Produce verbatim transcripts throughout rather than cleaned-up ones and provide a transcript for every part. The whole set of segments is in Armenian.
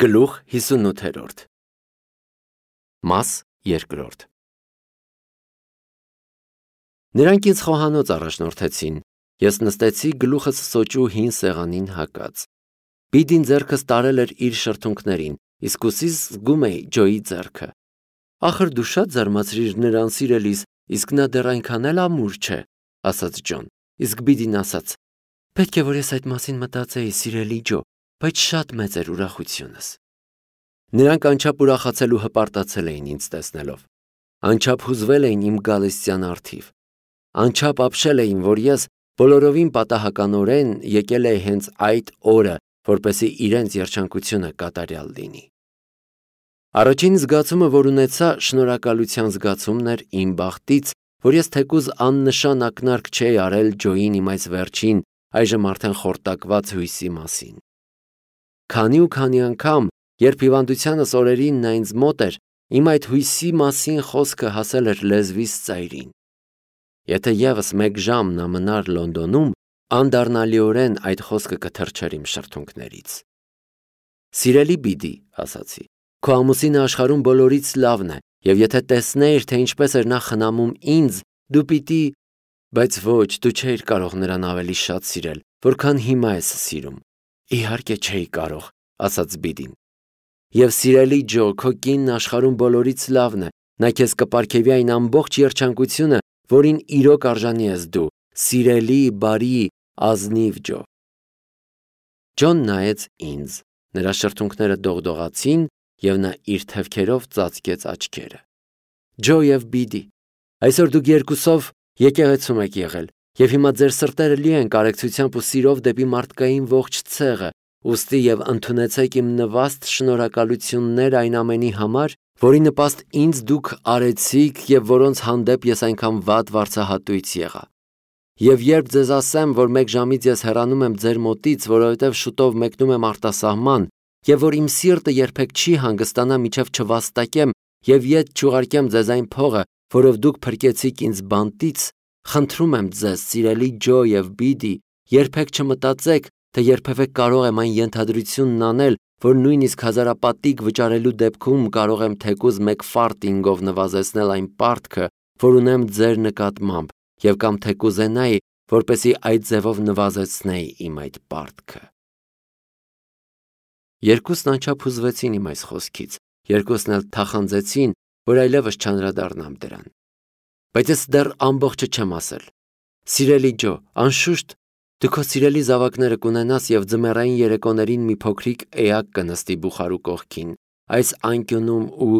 Գլուխ հիսունութերորդ Մաս երկրորդ Նրանք ինձ խոհանոց առաջնորդեցին, ես նստեցի գլուխս սոճու հին սեղանին հակած։ Բիդին ձեռքս տարել էր իր շրթունքներին, իսկ ուսիս զգում էի Ջոյի ձեռքը։ Ախր դու շատ զարմացրիր նրան սիրելիս, իսկ նա դեռ այնքան էլ ամուր չէ, ասաց Ջոն, իսկ Բիդին ասաց. Պետք է որ ես այդ մասին մտածեի, սիրելի Ջո, բայց շատ մեծ էր ուրախությունս։ Նրանք անչափ ուրախացել ու հպարտացել էին ինձ տեսնելով, անչափ հուզվել էին իմ գալստյան առթիվ, անչափ ապշել էին, որ ես բոլորովին պատահականորեն եկել էի հենց այդ օրը, որպեսզի իրենց երջանկությունը կատարյալ լինի։ Առաջին զգացումը, որ ունեցա, շնորհակալության զգացումն էր իմ բախտից, որ ես թեկուզ աննշան ակնարկ չէի արել Ջոյին իմ այս վերջին, այժմ արդեն խորտակված հույսի մասին։ Քանի ու քանի անգամ, երբ հիվանդությանս օրերին նա ինձ մոտ էր, իմ այդ հույսի մասին խոսքը հասել էր լեզվիս ծայրին։ Եթե ևս մեկ ժամ նա մնար Լոնդոնում, անդառնալիորեն այդ խոսքը կթռչեր իմ շրթունքներից։ Սիրելի Բիդի, ասացի, քո ամուսինը աշխարհում բոլորից լավն է, և եթե տեսներ, թե ինչպես էր նա խնամում ինձ, դու պիտի… Բայց ոչ, դու չէիր կարող նրան ավելի շատ սիրել, որքան հիմա ես սիրում։ Իհարկե չէի կարող, ասաց Բիդին։ Եվ սիրելի Ջո, քո կինն աշխարհում բոլորից լավն է, նա քեզ կպարգևի այն ամբողջ երջանկությունը, որին իրոք արժանի ես դու, սիրելի, բարի, ազնիվ Ջո։ Ջոն նայեց ինձ, նրա շրթունքները դողդողացին, և նա իր թևքերով ծածկեց աչքերը։ Ջո և Բիդի, այսօր դուք երկուսով եկեղեցում եք եղել, և հիմա ձեր սրտերը լի են կարեկցությամբ ու սիրով դեպի մարդկային ողջ ցեղը, ուստի և ընդունեցեք իմ նվաստ շնորհակալությունները այն ամենի համար, որի նպաստ ինձ դուք արեցիք և որոնց հանդեպ ես այնքան վատ վարձահատույց եղա։ Եվ երբ ձեզ ասեմ, որ մեկ ժամից ես հեռանում եմ ձեր մոտից, որովհետև շուտով մեկնում եմ արտասահման, և որ իմ սիրտը երբեք չի հանգստանա, մինչև չվաստակեմ և ետ չուղարկեմ ձեզ այն փողը, որով դուք փրկեցիք ինձ բանտից, խնդրում եմ ձեզ, սիրելի Ջո և Բիդի, երբեք չմտածեք, թե երբևէ կարող եմ այն ենթադրությունն անել, որ նույնիսկ հազարապատիկ վճարելու դեպքում կարող եմ թեկուզ մեկ ֆարտինգով նվազեցնել այն պարտքը, որ ունեմ ձեր նկատմամբ, և կամ թե կուզենայի, որպեսզի այդ ձևով նվազեցնեի իմ այդ պարտքը։ Երկուսն անչափ հուզվեցին իմ այս խոսքից, երկուսն էլ թախանձեցին, որ այլևս չանդրադառնամ դրան։ Բայց ես դեռ ամբողջը չեմ ասել։ Սիրելի Ջո, անշուշտ, դու քո սիրելի զավակները կունենաս և ձմեռային երեկոներին մի փոքրիկ էակ կնստի բուխարու կողքին, այս անկյունում ու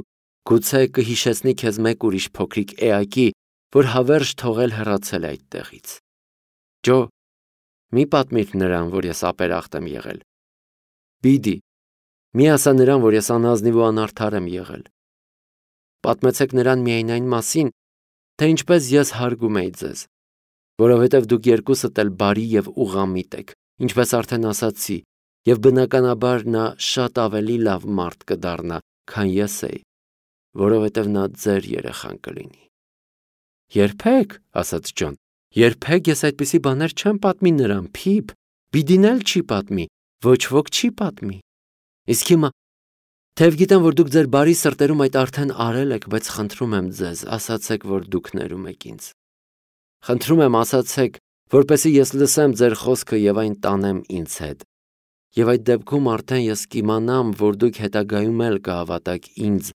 գուցե կհիշեցնի քեզ մեկ ուրիշ փոքրիկ էակի, որ հավերժ թողել հեռացել է այդտեղից։ Ջո, մի պատմիր նրան, որ ես ապերախտ եմ եղել։ Բիդի, մի ասա նրան, որ ես անազնիվ ու անարդար եմ եղել։ Պատմեցեք նրան միայն այն մասին, թե ինչպես ես հարգում էի ձեզ, որովհետև դուք երկուսդ էլ բարի և ուղղամիտ եք, ինչպես արդեն ասացի, և բնականաբար նա շատ ավելի լավ մարդ կդառնա, քան ես էի, որովհետև նա ձեր երեխան կլինի։ Երբեք, ասաց Ջոն, երբեք ես այդպիսի բաներ չեմ պատմի նրան, Փիփ, Բիդին էլ չի պատմի, ոչ ոք չի պատմի։ Իսկ հիմա, թեև գիտեմ, որ դուք ձեր բարի սրտերում այդ արդեն արել եք, բայց խնդրում եմ ձեզ, ասացեք, որ դուք ներում եք ինձ։ Խնդրում եմ, ասացեք, որպեսզի ես լսեմ ձեր խոսքը և այն տանեմ ինձ հետ։ Եվ այդ դեպքում արդեն ես կիմանամ, որ դուք հետագայում էլ կհավատաք ինձ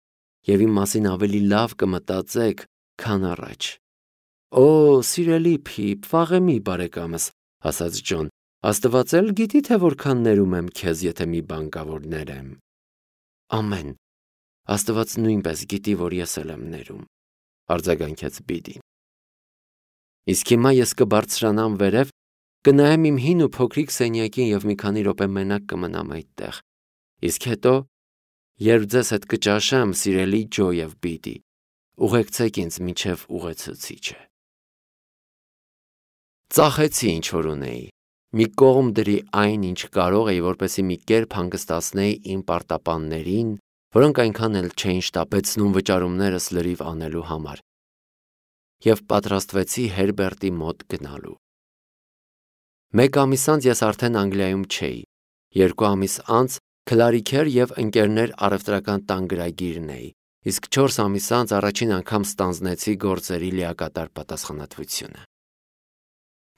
և իմ մասին ավելի լավ կմտածեք, քան առաջ։ Օ, սիրելի Փիփ, վաղեմի բարեկամս, ասաց Ջոն, Աստված էլ գիտի, թե որքան ներում եմ քեզ, եթե մի բան կա, որ ներեմ։ Ամեն։ Աստված նույնպես գիտի, որ ես էլ եմ ներում, արձագանքեց Բիդին։ Իսկ հիմա ես կբարձրանամ վերև, կնայեմ իմ հին ու փոքրիկ սենյակին և մի քանի րոպե մենակ կմնամ այդտեղ։ Իսկ հետո, երբ ձեզ հետ կճաշեմ, սիրելի Ջո և Բիդի, ուղեկցեք ինձ մինչև ուղեցուցիչը։ Ծախեցի, ինչ որ ունեի, մի կողմ դրի այն, ինչ կարող էի, որպեսզի մի կերպ հանգստացնեի իմ պարտապաններին, որոնք այնքան էլ չէին շտապեցնում վճարումներս լրիվ անելու համար, և պատրաստվեցի Հերբերտի մոտ գնալու։ Մեկ ամիս անց ես արդեն Անգլիայում չէի, երկու ամիս անց Քլարիքեր եւ ընկերներ առևտրական տան գրագիրն էի, իսկ չորս ամիս անց առաջին անգամ ստանձնեցի գործերի լիակատար պատասխանատվությունը։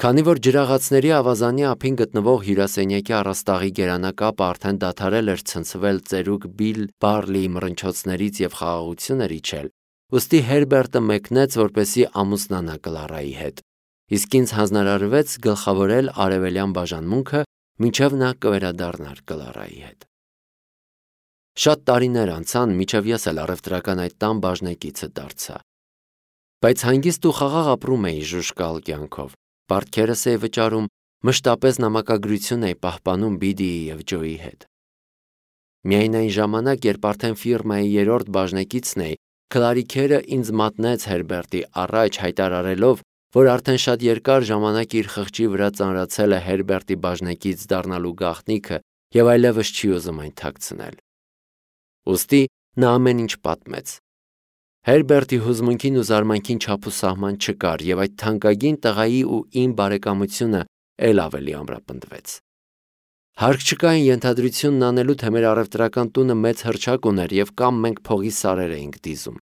Քանի որ ջրաղացների ավազանի ափին գտնվող հյուրասենյակի առաստաղի գերանակապը արդեն դադարել էր ցնցվել ծերուկ Բիլ Բարլիի մռնչոցներից եւ խաղաղություններ իջել, ուստի Հերբերտը մեկնեց, որպեսի ամուսնանա Կլարայի հետ, իսկ ինձ հանձնարարվեց գլխավորել արևելյան բաժանմունքը, մինչև նա կվերադառնար Կլարայի հետ։ Շատ տարիներ անցան, մինչև ես էլ առևտրական այդ տան բաժնեկիցը դարձա։ Բայց հանգիստ ու խաղաղ ապրում էի ժուժկալ կյանքով, պարտքերս էի վճարում, մշտապես նամակագրություն էի պահպանում Բիդիի եւ Ջոյի հետ։ Միայն այն ժամանակ, երբ արդեն ֆիրմայի երրորդ բաժնեկիցն էի, Քլարիքերը ինձ մատնեց Հերբերտի առաջ հայտարարելով, որ արդեն շատ երկար ժամանակ իր խղճի վրա ծանրացել է Հերբերտի բաժնեկից դառնալու գաղտնիքը եւ այլևս չի ուզում այն թաքցնել։ Ուստի նա ամեն ինչ պատմեց։ Հերբերտի հուզմունքին ու զարմանքին չափուսահման չկար եւ այդ թանկագին տղայի ու իմ բարեկամությունը ել ավելի ամրապնդվեց։ Հարկ չկա այն ենթադրությունն անելու, թե մեր առևտրական տունը մեծ հռչակ ուներ եւ կամ մենք փողի սարեր էինք դիզում։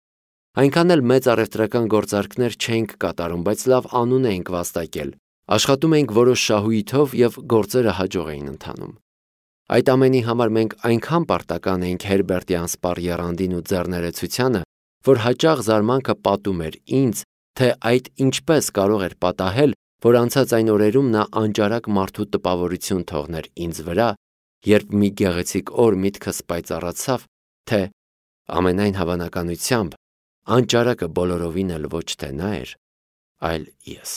Այնքան էլ մեծ առևտրական գործարքներ չէինք կատարում, բայց լավ անուն էինք վաստակել։ Աշխատում էինք որոշ շահույթով եւ գործերը հաջող էին ընթանում։ Այդ ամենի համար մենք այնքան պարտական էինք Հերբերտի անսպառ եռանդին ու ձեռներեցությանը, որ հաճախ զարմանքը պատում էր ինձ, թե այդ ինչպես կարող էր պատահել, որ անցած այն օրերում նա անճարակ մարդու տպավորություն թողներ ինձ վրա, երբ մի գեղեցիկ օր միտքս պայծառացավ, թե ամենայն հավանականությամբ անճարակը բոլորովին էլ ոչ թե նա էր, այլ ես։